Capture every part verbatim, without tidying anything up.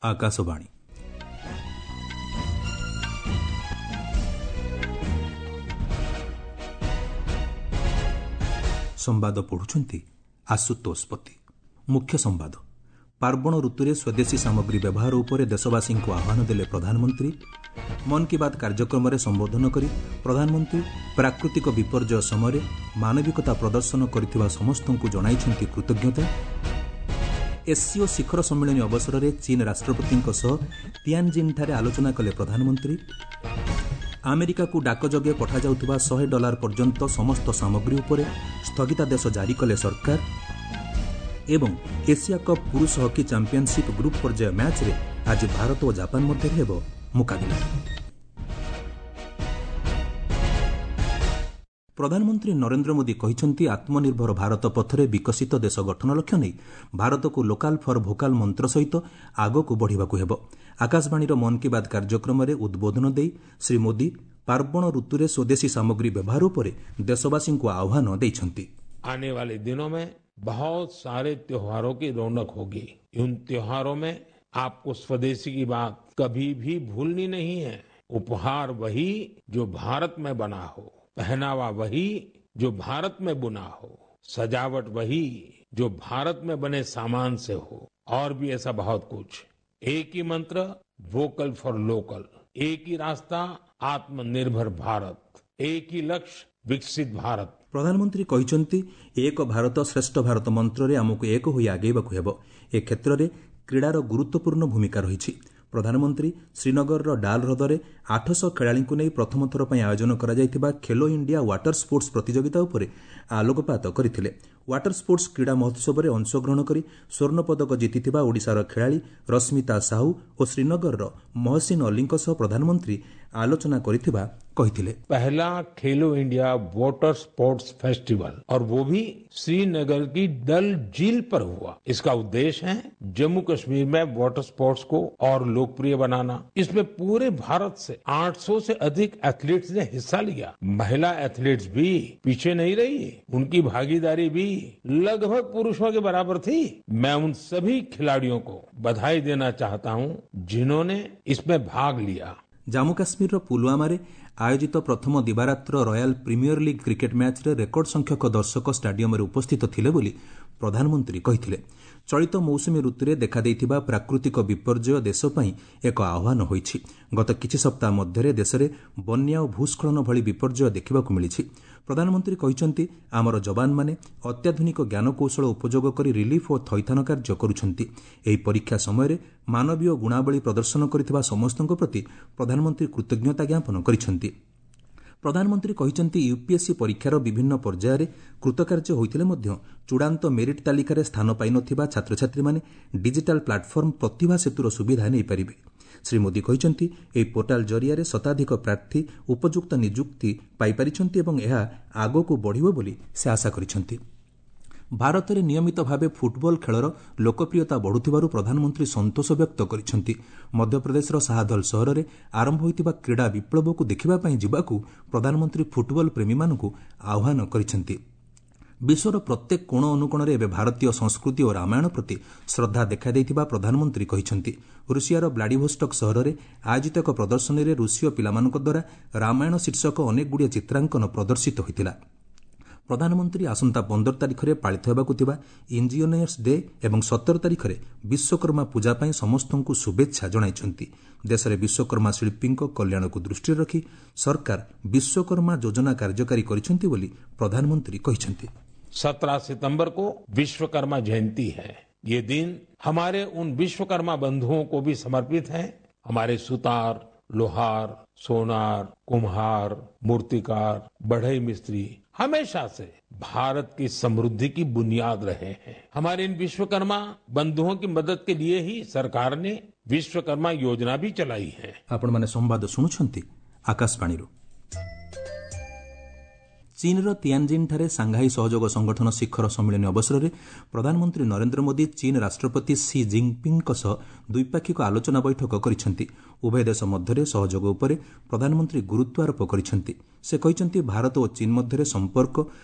ଆକାଶବାଣୀ। ସମ୍ବାଦ ପଢ଼ୁଛନ୍ତି ଆଶୁତୋଷ ପତି। ମୁଖ୍ୟ ସମ୍ବାଦ। ପାର୍ବଣ ଋତୁରେ ସ୍ୱଦେଶୀ ସାମଗ୍ରୀ ବ୍ୟବହାର ଉପରେ ଦେଶବାସୀଙ୍କୁ ଆହ୍ୱାନ ଦେଲେ ପ୍ରଧାନମନ୍ତ୍ରୀ। ମନ୍ କି ବାତ୍ କାର୍ଯ୍ୟକ୍ରମରେ ସମ୍ବୋଧନ କରି ପ୍ରଧାନମନ୍ତ୍ରୀ ପ୍ରାକୃତିକ ବିପର୍ଯ୍ୟୟ ସମୟରେ ମାନବିକତା ପ୍ରଦର୍ଶନ କରିଥିବା ସମସ୍ତଙ୍କୁ ଜଣାଇଛନ୍ତି କୃତଜ୍ଞତା। ଏସ୍ସିଓ ଶିଖର ସମ୍ମିଳନୀ ଅବସରରେ ଚୀନ୍ ରାଷ୍ଟ୍ରପତିଙ୍କ ସହ ତିଆନ୍ଜିନ୍ଠାରେ ଆଲୋଚନା କଲେ ପ୍ରଧାନମନ୍ତ୍ରୀ। ଆମେରିକାକୁ ଡାକଯୋଗେ ପଠାଯାଉଥିବା ଶହେ ଡଲାର ପର୍ଯ୍ୟନ୍ତ ସମସ୍ତ ସାମଗ୍ରୀ ଉପରେ ସ୍ଥଗିତାଦେଶ ଜାରି କଲେ ସରକାର। ଏବଂ ଏସିଆ କପ୍ ପୁରୁଷ ହକି ଚାମ୍ପିୟନସିପ୍ ଗ୍ରୁପ୍ ପର୍ଯ୍ୟାୟ ମ୍ୟାଚ୍ରେ ଆଜି ଭାରତ ଓ ଜାପାନ ମଧ୍ୟରେ ହେବ ମୁକାବିଲା। ପ୍ରଧାନମନ୍ତ୍ରୀ ନରେନ୍ଦ୍ର ମୋଦି କହିଛନ୍ତି, ଆତ୍ମନିର୍ଭର ଭାରତ ପଥରେ ବିକଶିତ ଦେଶ ଗଠନ ଲକ୍ଷ୍ୟ ନେଇ ଭାରତକୁ ଲୋକାଲ୍ ଫର୍ ଭୋକାଲ୍ ମନ୍ତ୍ର ସହିତ ଆଗକୁ ବଢ଼ିବାକୁ ହେବ। ଆକାଶବାଣୀର ମନ୍ କି ବାତ୍ କାର୍ଯ୍ୟକ୍ରମରେ ଉଦ୍ବୋଧନ ଦେଇ ଶ୍ରୀ ମୋଦି ପାର୍ବଣ ଋତୁରେ ସ୍ୱଦେଶୀ ସାମଗ୍ରୀ ବ୍ୟବହାର ଉପରେ ଦେଶବାସୀଙ୍କୁ ଆହ୍ୱାନ ଦେଇଛନ୍ତି। आने वाले दिनों में बहुत सारे त्योहारों की रौनक होगी। उन त्योहारों में आपको स्वदेशी की बात कभी भी भूलनी नहीं है। उपहार वही जो भारत में बना हो, पहनावा वही जो भारत में बुना हो, सजावट वही जो भारत में बने सामान से हो, और भी ऐसा बहुत कुछ। एक ही मंत्र, वोकल फॉर लोकल। एक ही रास्ता, आत्मनिर्भर भारत। एक ही लक्ष्य, विकसित भारत। ପ୍ରଧାନମନ୍ତ୍ରୀ କହିଛନ୍ତି, ଏକ ଭାରତ ଶ୍ରେଷ୍ଠ ଭାରତ ମନ୍ତ୍ରରେ ଆମକୁ ଏକ ହୋଇ ଆଗେଇବାକୁ ହେବ। ଏ କ୍ଷେତ୍ରରେ କ୍ରୀଡ଼ାର ଗୁରୁତ୍ୱପୂର୍ଣ୍ଣ ଭୂମିକା ରହିଛି। ପ୍ରଧାନମନ୍ତ୍ରୀ ଶ୍ରୀନଗରର ଡାଲ୍ ହ୍ରଦରେ ଆଠଶହ ଖେଳାଳିଙ୍କୁ ନେଇ ପ୍ରଥମ ଥର ପାଇଁ ଆୟୋଜନ କରାଯାଇଥିବା ଖେଲୋ ଇଣ୍ଡିଆ ୱାଟର ସ୍ପୋର୍ଟସ୍ ପ୍ରତିଯୋଗିତା ଉପରେ ଆଲୋକପାତ କରିଥିଲେ। ୱାଟର ସ୍ପୋର୍ଟସ୍ କ୍ରୀଡ଼ା ମହୋତ୍ସବରେ ଅଂଶଗ୍ରହଣ କରି ସ୍ୱର୍ଣ୍ଣପଦକ ଜିତିଥିବା ଓଡ଼ିଶାର ଖେଳାଳି ରଶ୍ମିତା ସାହୁ ଓ ଶ୍ରୀନଗରର ମହସିନ ଅଲ୍ଲୀଙ୍କ ସହ ପ୍ରଧାନମନ୍ତ୍ରୀ ଆଲୋଚନା କରିଥିବା କହିଥିଲେ। पहला खेलो इंडिया वाटर स्पोर्ट्स फेस्टिवल, और वो भी श्रीनगर की डल झील पर हुआ। इसका उद्देश्य है जम्मू कश्मीर में वाटर स्पोर्ट्स को और लोकप्रिय बनाना। इसमें पूरे भारत से आठ सौ से अधिक एथलीट्स ने हिस्सा लिया। महिला एथलीट्स भी पीछे नहीं रही, उनकी भागीदारी भी लगभग पुरुषों के बराबर थी। मैं उन सभी खिलाड़ियों को बधाई देना चाहता हूं जिन्होंने इसमें भाग लिया। ଜାମ୍ମୁ କାଶ୍ମୀରର ପୁଲୱାମାରେ ଆୟୋଜିତ ପ୍ରଥମ ଦିବାରାତ୍ର ରୟାଲ୍ ପ୍ରିମିୟର ଲିଗ୍ କ୍ରିକେଟ୍ ମ୍ୟାଚ୍ରେ ରେକର୍ଡ ସଂଖ୍ୟକ ଦର୍ଶକ ଷ୍ଟାଡିୟମରେ ଉପସ୍ଥିତ ଥିଲେ ବୋଲି ପ୍ରଧାନମନ୍ତ୍ରୀ କହିଥିଲେ। ଚଳିତ ମୌସୁମୀ ଋତୁରେ ଦେଖାଦେଇଥିବା ପ୍ରାକୃତିକ ବିପର୍ଯ୍ୟୟ ଦେଶ ପାଇଁ ଏକ ଆହ୍ୱାନ ହୋଇଛି। ଗତ କିଛି ସପ୍ତାହ ମଧ୍ୟରେ ଦେଶରେ ବନ୍ୟା ଓ ଭୂସ୍ଖଳନ ଭଳି ବିପର୍ଯ୍ୟୟ ଦେଖିବାକୁ ମିଳିଛି। ପ୍ରଧାନମନ୍ତ୍ରୀ କହିଛନ୍ତି, ଆମର ଯବାନମାନେ ଅତ୍ୟାଧୁନିକ ଜ୍ଞାନକୌଶଳ ଉପଯୋଗ କରି ରିଲିଫ୍ ଓ ଥଇଥାନ କାର୍ଯ୍ୟ କରୁଛନ୍ତି। ଏହି ପରୀକ୍ଷା ସମୟରେ ମାନବୀୟ ଗୁଣାବଳୀ ପ୍ରଦର୍ଶନ କରିଥିବା ସମସ୍ତଙ୍କ ପ୍ରତି ପ୍ରଧାନମନ୍ତ୍ରୀ କୃତଜ୍ଞତା ଜ୍ଞାପନ କରିଛନ୍ତି। ପ୍ରଧାନମନ୍ତ୍ରୀ କହିଛନ୍ତି, ୟୁପିଏସ୍ସି ପରୀକ୍ଷାର ବିଭିନ୍ନ ପର୍ଯ୍ୟାୟରେ କୃତକାର୍ଯ୍ୟ ହୋଇଥିଲେ ମଧ୍ୟ ଚୂଡ଼ାନ୍ତ ମେରିଟ୍ ତାଲିକାରେ ସ୍ଥାନ ପାଇନଥିବା ଛାତ୍ରଛାତ୍ରୀମାନେ ଡିଜିଟାଲ୍ ପ୍ଲାଟଫର୍ମ ପ୍ରତିଭା ସେତୁର ସୁବିଧା ନେଇପାରିବେ। ଶ୍ରୀ ମୋଦି କହିଛନ୍ତି, ଏହି ପୋର୍ଟାଲ୍ ଜରିଆରେ ଶତାଧିକ ପ୍ରାର୍ଥୀ ଉପଯୁକ୍ତ ନିଯୁକ୍ତି ପାଇପାରିଛନ୍ତି ଏବଂ ଏହା ଆଗକୁ ବଢ଼ିବ ବୋଲି ସେ ଆଶା କରିଛନ୍ତି। ଭାରତରେ ନିୟମିତ ଭାବେ ଫୁଟବଲ ଖେଳର ଲୋକପ୍ରିୟତା ବଢ଼ୁଥିବାରୁ ପ୍ରଧାନମନ୍ତ୍ରୀ ସନ୍ତୋଷ ବ୍ୟକ୍ତ କରିଛନ୍ତି। ମଧ୍ୟପ୍ରଦେଶର ଶାହାଦଲ ସହରରେ ଆରମ୍ଭ ହୋଇଥିବା କ୍ରୀଡ଼ା ବିପ୍ଳବକୁ ଦେଖିବା ପାଇଁ ଯିବାକୁ ପ୍ରଧାନମନ୍ତ୍ରୀ ଫୁଟବଲ ପ୍ରେମୀମାନଙ୍କୁ ଆହ୍ୱାନ କରିଛନ୍ତି। ବିଶ୍ୱର ପ୍ରତ୍ୟେକ କୋଣ ଅନୁକୋଣରେ ଏବେ ଭାରତୀୟ ସଂସ୍କୃତି ଓ ରାମାୟଣ ପ୍ରତି ଶ୍ରଦ୍ଧା ଦେଖାଦେଇଥିବା ପ୍ରଧାନମନ୍ତ୍ରୀ କହିଛନ୍ତି। ରୁଷିଆର ବ୍ଲାଡିଭୋଷ୍ଟକ୍ ସହରରେ ଆୟୋଜିତ ଏକ ପ୍ରଦର୍ଶନୀରେ ରୁଷୀୟ ପିଲାମାନଙ୍କ ଦ୍ୱାରା ରାମାୟଣ ଶୀର୍ଷକ ଅନେକଗୁଡ଼ିଏ ଚିତ୍ରାଙ୍କନ ପ୍ରଦର୍ଶିତ ହୋଇଥିଲା। ପ୍ରଧାନମନ୍ତ୍ରୀ ଆସନ୍ତା ପନ୍ଦର ତାରିଖରେ ପାଳିତ ହେବାକୁ ଥିବା ଇଞ୍ଜିନିୟର୍ସ ଡେ ଏବଂ ସତର ତାରିଖରେ ବିଶ୍ୱକର୍ମା ପୂଜା ପାଇଁ ସମସ୍ତଙ୍କୁ ଶୁଭେଚ୍ଛା ଜଣାଇଛନ୍ତି। ଦେଶରେ ବିଶ୍ୱକର୍ମା ଶିଳ୍ପୀଙ୍କ କଲ୍ୟାଣକୁ ଦୃଷ୍ଟିରେ ରଖି ସରକାର ବିଶ୍ୱକର୍ମା ଯୋଜନା କାର୍ଯ୍ୟକାରୀ କରିଛନ୍ତି ବୋଲି ପ୍ରଧାନମନ୍ତ୍ରୀ କହିଛନ୍ତି। सत्रह सितंबर को विश्वकर्मा जयंती है। ये दिन हमारे उन विश्वकर्मा बंधुओं को भी समर्पित है। हमारे सुतार, लोहार, सोनार, कुम्हार, मूर्तिकार, बढ़ई मिस्त्री हमेशा से भारत की समृद्धि की बुनियाद रहे हैं। हमारे इन विश्वकर्मा बंधुओं की मदद के लिए ही सरकार ने विश्वकर्मा योजना भी चलाई है। ଆପଣମାନେ ସମ୍ବାଦ ଶୁଣୁଛନ୍ତି ଆକାଶବାଣୀରୁ। ଚୀନ୍ର ତିଆନ୍ଜିନ୍ଠାରେ ସାଂଘାଇ ସହଯୋଗ ସଂଗଠନ ଶିଖର ସମ୍ମିଳନୀ ଅବସରରେ ପ୍ରଧାନମନ୍ତ୍ରୀ ନରେନ୍ଦ୍ର ମୋଦି ଚୀନ୍ ରାଷ୍ଟ୍ରପତି ସି ଜିନ୍ପିଙ୍ଗ୍ଙ୍କ ସହ ଦ୍ୱିପାକ୍ଷିକ ଆଲୋଚନା ବୈଠକ କରିଛନ୍ତି। ଉଭୟ ଦେଶ ମଧ୍ୟରେ ସହଯୋଗ ଉପରେ ପ୍ରଧାନମନ୍ତ୍ରୀ ଗୁରୁତ୍ୱ ଆରୋପ କରିଛନ୍ତି। ସେ କହିଛନ୍ତି, ଭାରତ ଓ ଚୀନ୍ ମଧ୍ୟରେ ସମ୍ପର୍କ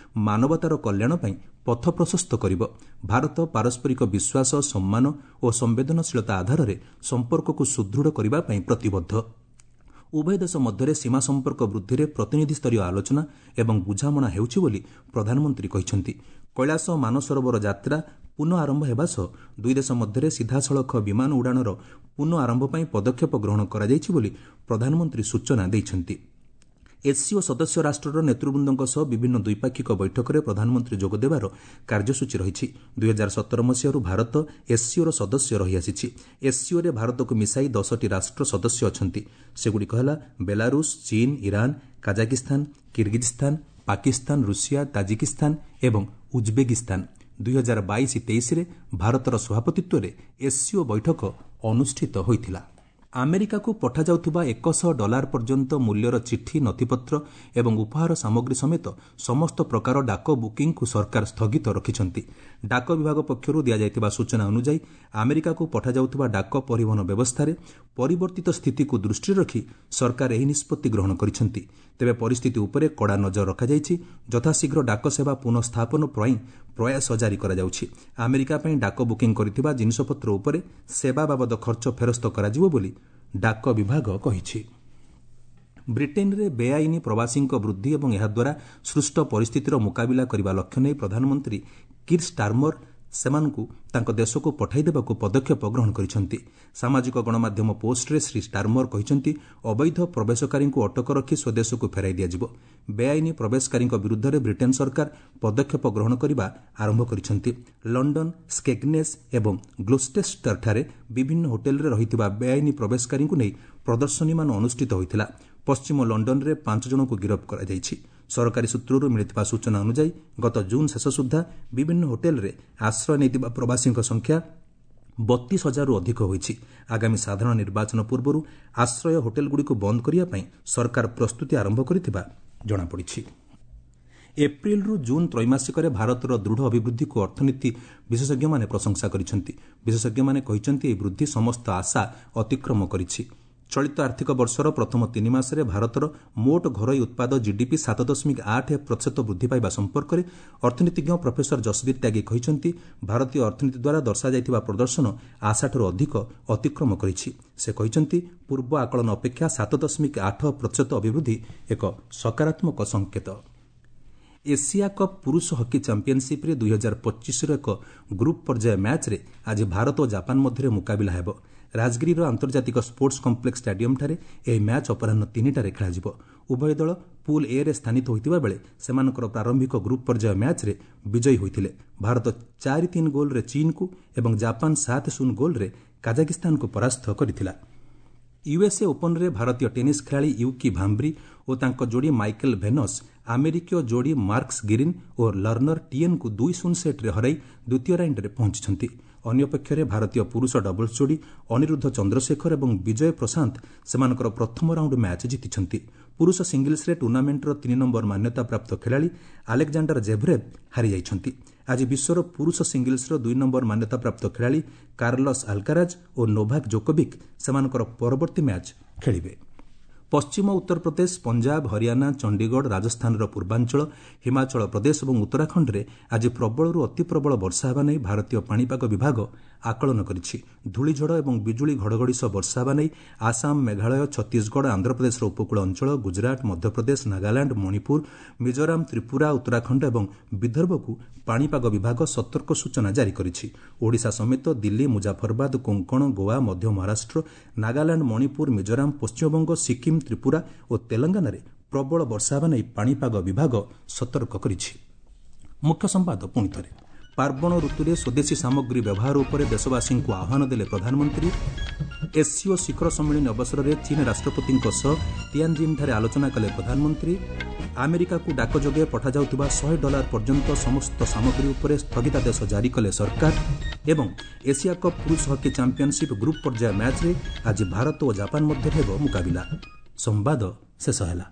ମାନବତାର କଲ୍ୟାଣ ପାଇଁ ପଥ ପ୍ରଶସ୍ତ କରିବ। ଭାରତ ପାରସ୍ପରିକ ବିଶ୍ୱାସ, ସମ୍ମାନ ଓ ସମ୍ବେଦନଶୀଳତା ଆଧାରରେ ସମ୍ପର୍କକୁ ସୁଦୃଢ଼ କରିବା ପାଇଁ ପ୍ରତିବଦ୍ଧ। ଉଭୟ ଦେଶ ମଧ୍ୟରେ ସୀମା ସମ୍ପର୍କ ବୃଦ୍ଧିରେ ପ୍ରତିନିଧିସ୍ତରୀୟ ଆଲୋଚନା ଏବଂ ବୁଝାମଣା ହେଉଛି ବୋଲି ପ୍ରଧାନମନ୍ତ୍ରୀ କହିଛନ୍ତି। କୈଳାସ ମାନସରୋବର ଯାତ୍ରା ପୁନଃ ଆରମ୍ଭ ହେବା ସହ ଦୁଇ ଦେଶ ମଧ୍ୟରେ ସିଧାସଳଖ ବିମାନ ଉଡ଼ାଣର ପୁନଃ ଆରମ୍ଭ ପାଇଁ ପଦକ୍ଷେପ ଗ୍ରହଣ କରାଯାଇଛି ବୋଲି ପ୍ରଧାନମନ୍ତ୍ରୀ ସୂଚନା ଦେଇଛନ୍ତି। ଏସ୍ସିଓ ସଦସ୍ୟ ରାଷ୍ଟ୍ରର ନେତୃବୃନ୍ଦଙ୍କ ସହ ବିଭିନ୍ନ ଦ୍ୱିପାକ୍ଷିକ ବୈଠକରେ ପ୍ରଧାନମନ୍ତ୍ରୀ ଯୋଗଦେବାର କାର୍ଯ୍ୟସୂଚୀ ରହିଛି। ଦୁଇହଜାର ସତର ମସିହାରୁ ଭାରତ ଏସ୍ସିଓର ସଦସ୍ୟ ରହିଆସିଛି। ଏସ୍ସିଓରେ ଭାରତକୁ ମିଶାଇ ଦଶଟି ରାଷ୍ଟ୍ର ସଦସ୍ୟ ଅଛନ୍ତି। ସେଗୁଡ଼ିକ ହେଲା ବେଲାରୁଷ, ଚୀନ୍, Iran, Kazakhstan, Kyrgyzstan, Pakistan, Russia, Tajikistan ଏବଂ ଉଜ୍ବେକିସ୍ତାନ। ଦୁଇହଜାର ବାଇଶ ତେଇଶରେ ଭାରତର ସଭାପତିତ୍ୱରେ ଏସ୍ସିଓ ବୈଠକ ଅନୁଷ୍ଠିତ ହୋଇଥିଲା। ଆମେରିକାକୁ ପଠାଯାଉଥିବା ଏକଶହ ଡଲାର ପର୍ଯ୍ୟନ୍ତ ମୂଲ୍ୟର ଚିଠି, ନଥିପତ୍ର ଏବଂ ଉପହାର ସାମଗ୍ରୀ ସମେତ ସମସ୍ତ ପ୍ରକାର ଡାକ ବୁକିଂକୁ ସରକାର ସ୍ଥଗିତ ରଖିଛନ୍ତି। ଡାକ ବିଭାଗ ପକ୍ଷରୁ ଦିଆଯାଇଥିବା ସୂଚନା ଅନୁଯାୟୀ, ଆମେରିକାକୁ ପଠାଯାଉଥିବା ଡାକ ପରିବହନ ବ୍ୟବସ୍ଥାରେ ପରିବର୍ତ୍ତିତ ସ୍ଥିତିକୁ ଦୃଷ୍ଟିରେ ରଖି ସରକାର ଏହି ନିଷ୍ପତ୍ତି ଗ୍ରହଣ କରିଛନ୍ତି। ତେବେ ପରିସ୍ଥିତି ଉପରେ କଡ଼ା ନଜର ରଖାଯାଇଛି। ଯଥାଶୀଘ୍ର ଡାକ ସେବା ପୁନଃସ୍ଥାପନ ପାଇଁ ପ୍ରୟାସ ଜାରି କରାଯାଉଛି। ଆମେରିକା ପାଇଁ ଡାକ ବୁକିଂ କରିଥିବା ଜିନିଷପତ୍ର ଉପରେ ସେବା ବାବଦ ଖର୍ଚ୍ଚ ଫେରସ୍ତ କରାଯିବ ବୋଲି ଡାକ ବିଭାଗ କହିଛି। ବ୍ରିଟେନ୍ରେ ବେଆଇନ ପ୍ରବାସୀଙ୍କ ବୃଦ୍ଧି ଏବଂ ଏହାଦ୍ୱାରା ସୃଷ୍ଟ ପରିସ୍ଥିତିର ମୁକାବିଲା କରିବା ଲକ୍ଷ୍ୟ ନେଇ ପ୍ରଧାନମନ୍ତ୍ରୀ କିର୍ ଷ୍ଟାର୍ମର ସେମାନଙ୍କୁ ତାଙ୍କ ଦେଶକୁ ପଠାଇ ଦେବାକୁ ପଦକ୍ଷେପ ଗ୍ରହଣ କରିଛନ୍ତି। ସାମାଜିକ ଗଣମାଧ୍ୟମ ପୋଷ୍ଟରେ ଶ୍ରୀ ଷ୍ଟାର୍ମର କହିଛନ୍ତି, ଅବୈଧ ପ୍ରବେଶକାରୀଙ୍କୁ ଅଟକ ରଖି ସ୍ୱଦେଶକୁ ଫେରାଇ ଦିଆଯିବ। ବେଆଇନ ପ୍ରବେଶକାରୀଙ୍କ ବିରୁଦ୍ଧରେ ବ୍ରିଟେନ୍ ସରକାର ପଦକ୍ଷେପ ଗ୍ରହଣ କରିବା ଆରମ୍ଭ କରିଛନ୍ତି। ଲଣ୍ଡନ, ସ୍କେଗ୍ନେସ୍ ଏବଂ ଗ୍ଲୋଷ୍ଟେଷ୍ଟରଠାରେ ବିଭିନ୍ନ ହୋଟେଲରେ ରହିଥିବା ବେଆଇନ ପ୍ରବେଶକାରୀଙ୍କୁ ନେଇ ପ୍ରଦର୍ଶନୀମାନ ଅନୁଷ୍ଠିତ ହୋଇଥିଲା। ପଶ୍ଚିମ ଲଣ୍ଡନରେ ପାଞ୍ଚ ଜଣଙ୍କୁ ଗିରଫ କରାଯାଇଛି। ସରକାରୀ ସୂତ୍ରରୁ ମିଳିଥିବା ସୂଚନା ଅନୁଯାୟୀ, ଗତ ଜୁନ୍ ଶେଷ ସୁଦ୍ଧା ବିଭିନ୍ନ ହୋଟେଲରେ ଆଶ୍ରୟ ନେଇଥିବା ପ୍ରବାସୀଙ୍କ ସଂଖ୍ୟା ବତିଶ ହଜାରରୁ ଅଧିକ ହୋଇଛି। ଆଗାମୀ ସାଧାରଣ ନିର୍ବାଚନ ପୂର୍ବରୁ ଆଶ୍ରୟ ହୋଟେଲଗୁଡ଼ିକୁ ବନ୍ଦ କରିବା ପାଇଁ ସରକାର ପ୍ରସ୍ତୁତି ଆରମ୍ଭ କରିଥିବା ଜଣାପଡ଼ିଛି। ଏପ୍ରିଲରୁ ଜୁନ୍ ତ୍ରୈମାସିକରେ ଭାରତର ଦୃଢ଼ ଅଭିବୃଦ୍ଧିକୁ ଅର୍ଥନୀତି ବିଶେଷଜ୍ଞମାନେ ପ୍ରଶଂସା କରିଛନ୍ତି। ବିଶେଷଜ୍ଞମାନେ କହିଛନ୍ତି, ଏହି ବୃଦ୍ଧି ସମସ୍ତ ଆଶା ଅତିକ୍ରମ କରିଛି। ଚଳିତ ଆର୍ଥିକ ବର୍ଷର ପ୍ରଥମ ତିନି ମାସରେ ଭାରତର ମୋଟ ଘରୋଇ ଉତ୍ପାଦ ଜିଡିପି ସାତ ଦଶମିକ ଆଠ ପ୍ରତିଶତ ବୃଦ୍ଧି ପାଇବା ସମ୍ପର୍କରେ ଅର୍ଥନୀତିଜ୍ଞ ପ୍ରଫେସର ଯଶବୀର ତ୍ୟାଗୀ କହିଛନ୍ତି, ଭାରତୀୟ ଅର୍ଥନୀତି ଦ୍ୱାରା ଦର୍ଶାଯାଇଥିବା ପ୍ରଦର୍ଶନ ଆଶାଠାରୁ ଅଧିକ ଅତିକ୍ରମ କରିଛି। ସେ କହିଛନ୍ତି, ପୂର୍ବ ଆକଳନ ଅପେକ୍ଷା ସାତ ଦଶମିକ ଆଠ ପ୍ରତିଶତ ଅଭିବୃଦ୍ଧି ଏକ ସକାରାତ୍ମକ ସଂକେତ। ଏସିଆ କପ୍ ପୁରୁଷ ହକି ଚାମ୍ପିୟନସିପ୍ରେ ଦୁଇହଜାର ପଚିଶର ଏକ ଗ୍ରୁପ୍ ପର୍ଯ୍ୟାୟ ମ୍ୟାଚ୍ରେ ଆଜି ଭାରତ ଓ ଜାପାନ ମଧ୍ୟରେ ମୁକାବିଲା ହେବ। ରାଜଗିରିର ଆନ୍ତର୍ଜାତିକ ସ୍ପୋର୍ଟସ୍ କମ୍ପ୍ଲେକ୍ସ ଷ୍ଟାଡିୟମ୍ଠାରେ ଏହି ମ୍ୟାଚ୍ ଅପରାହ୍ନ ତିନିଟାରେ ଖେଳାଯିବ। ଉଭୟ ଦଳ ପୁଲ୍ ଏରେ ସ୍ଥାନିତ ହୋଇଥିବା ବେଳେ ସେମାନଙ୍କର ପ୍ରାରମ୍ଭିକ ଗ୍ରୁପ୍ ପର୍ଯ୍ୟାୟ ମ୍ୟାଚ୍ରେ ବିଜୟୀ ହୋଇଥିଲେ। ଭାରତ ଚାରି ତିନି ଗୋଲ୍ରେ ଚୀନ୍କୁ ଏବଂ ଜାପାନ ସାତ ଶୂନ ଗୋଲ୍ରେ କାଜାକିସ୍ତାନକୁ ପରାସ୍ତ କରିଥିଲା। ୟୁଏସ୍ଏ ଓପନ୍ରେ ଭାରତୀୟ ଟେନିସ୍ ଖେଳାଳି ୟୁକି ଭାମ୍ବ୍ରି ଓ ତାଙ୍କ ଯୋଡ଼ି ମାଇକେଲ ଭେନସ୍ ଆମେରିକୀୟ ଯୋଡ଼ି ମାର୍କସ୍ ଗିରିନ୍ ଓ ଲର୍ଣ୍ଣର ଟିଏନ୍ଙ୍କୁ ଦୁଇ ଶୂନ ସେଟ୍ରେ ହରାଇ ଦ୍ୱିତୀୟ ରାଉଣ୍ଡରେ ପହଞ୍ଚିଛନ୍ତି। ଅନ୍ୟପକ୍ଷରେ ଭାରତୀୟ ପୁରୁଷ ଡବଲ୍ସ ଯୋଡ଼ି ଅନିରୁଦ୍ଧ ଚନ୍ଦ୍ରଶେଖର ଏବଂ ବିଜୟ ପ୍ରଶାନ୍ତ ସେମାନଙ୍କର ପ୍ରଥମ ରାଉଣ୍ଡ ମ୍ୟାଚ୍ ଜିତିଛନ୍ତି। ପୁରୁଷ ସିଙ୍ଗଲ୍ସରେ ଟୁର୍ଣ୍ଣାମେଣ୍ଟର ତିନି ନମ୍ବର ମାନ୍ୟତାପ୍ରାପ୍ତ ଖେଳାଳି ଆଲେକ୍ଜାଣ୍ଡାର ଜେଭରେଭ୍ ହାରିଯାଇଛନ୍ତି। ଆଜି ବିଶ୍ୱର ପୁରୁଷ ସିଙ୍ଗଲ୍ସର ଦୁଇ ନମ୍ବର ମାନ୍ୟତାପ୍ରାପ୍ତ ଖେଳାଳି କାର୍ଲସ୍ ଆଲ୍କାରାଜ ଓ ନୋଭାକ୍ ଜୋକୋଭିକ୍ ସେମାନଙ୍କର ପରବର୍ତ୍ତୀ ମ୍ୟାଚ୍ ଖେଳିବେ। ପଶ୍ଚିମ ଉତ୍ତରପ୍ରଦେଶ, ପଞ୍ଜାବ, ହରିୟାଣା, ଚଣ୍ଡିଗଡ଼, ରାଜସ୍ଥାନର ପୂର୍ବାଞ୍ଚଳ, ହିମାଚଳ ପ୍ରଦେଶ ଏବଂ ଉତ୍ତରାଖଣ୍ଡରେ ଆଜି ପ୍ରବଳରୁ ଅତିପ୍ରବଳ ବର୍ଷା ହେବା ନେଇ ଭାରତୀୟ ପାଣିପାଗ ବିଭାଗ ଆକଳନ କରିଛି। ଧୂଳିଝଡ଼ ଏବଂ ବିଜୁଳି ଘଡ଼ଘଡ଼ି ସହ ବର୍ଷା ହେବା ନେଇ ଆସାମ, ମେଘାଳୟ, ଛତିଶଗଡ଼, ଆନ୍ଧ୍ରପ୍ରଦେଶର ଉପକୂଳ ଅଞ୍ଚଳ, ଗୁଜରାଟ, ମଧ୍ୟପ୍ରଦେଶ, ନାଗାଲାଣ୍ଡ, ମଣିପୁର, ମିଜୋରାମ, ତ୍ରିପୁରା, ଉତ୍ତରାଖଣ୍ଡ ଏବଂ ବିଦର୍ଭକୁ ପାଣିପାଗ ବିଭାଗ ସତର୍କ ସୂଚନା ଜାରି କରିଛି। ଓଡ଼ିଶା ସମେତ ଦିଲ୍ଲୀ, ମୁଜାଫରବାଦ, କୋଙ୍କଣ, ଗୋଆ, ମଧ୍ୟ ମହାରାଷ୍ଟ୍ର, ନାଗାଲାଣ୍ଡ, ମଣିପୁର, ମିଜୋରାମ, ପଶ୍ଚିମବଙ୍ଗ, ସିକିମ୍, ତ୍ରିପୁରା ଓ ତେଲଙ୍ଗାନାରେ ପ୍ରବଳ ବର୍ଷା ହେବା ନେଇ ପାଣିପାଗ ବିଭାଗ ସତର୍କ କରିଛି। ମୁଖ୍ୟ ସମ୍ବାଦ ପୁଣି ଥରେ। ପାର୍ବଣ ଋତୁରେ ସ୍ୱଦେଶୀ ସାମଗ୍ରୀ ବ୍ୟବହାର ଉପରେ ଦେଶବାସୀଙ୍କୁ ଆହ୍ୱାନ ଦେଲେ ପ୍ରଧାନମନ୍ତ୍ରୀ। ଏସ୍ସିଓ ଶିଖର ସମ୍ମିଳନୀ ଅବସରରେ ଚୀନ୍ ରାଷ୍ଟ୍ରପତିଙ୍କ ସହ ତିଆନ୍ଜିନ୍ଠାରେ ଆଲୋଚନା କଲେ ପ୍ରଧାନମନ୍ତ୍ରୀ। ଆମେରିକାକୁ ଡାକ ଯୋଗେ ପଠାଯାଉଥିବା ଶହେ ଡଲାର ପର୍ଯ୍ୟନ୍ତ ସମସ୍ତ ସାମଗ୍ରୀ ଉପରେ ସ୍ଥଗିତାଦେଶ ଜାରି କଲେ ସରକାର। ଏବଂ ଏସିଆ କପ୍ ପୁରୁଷ ହକି ଚାମ୍ପିୟନସିପ୍ ଗ୍ରୁପ୍ ପର୍ଯ୍ୟାୟ ମ୍ୟାଚ୍ରେ ଆଜି ଭାରତ ଓ ଜାପାନ ମଧ୍ୟରେ ହେବ ମୁକାବିଲା। ସମ୍ବାଦ ଶେଷ ହେଲା।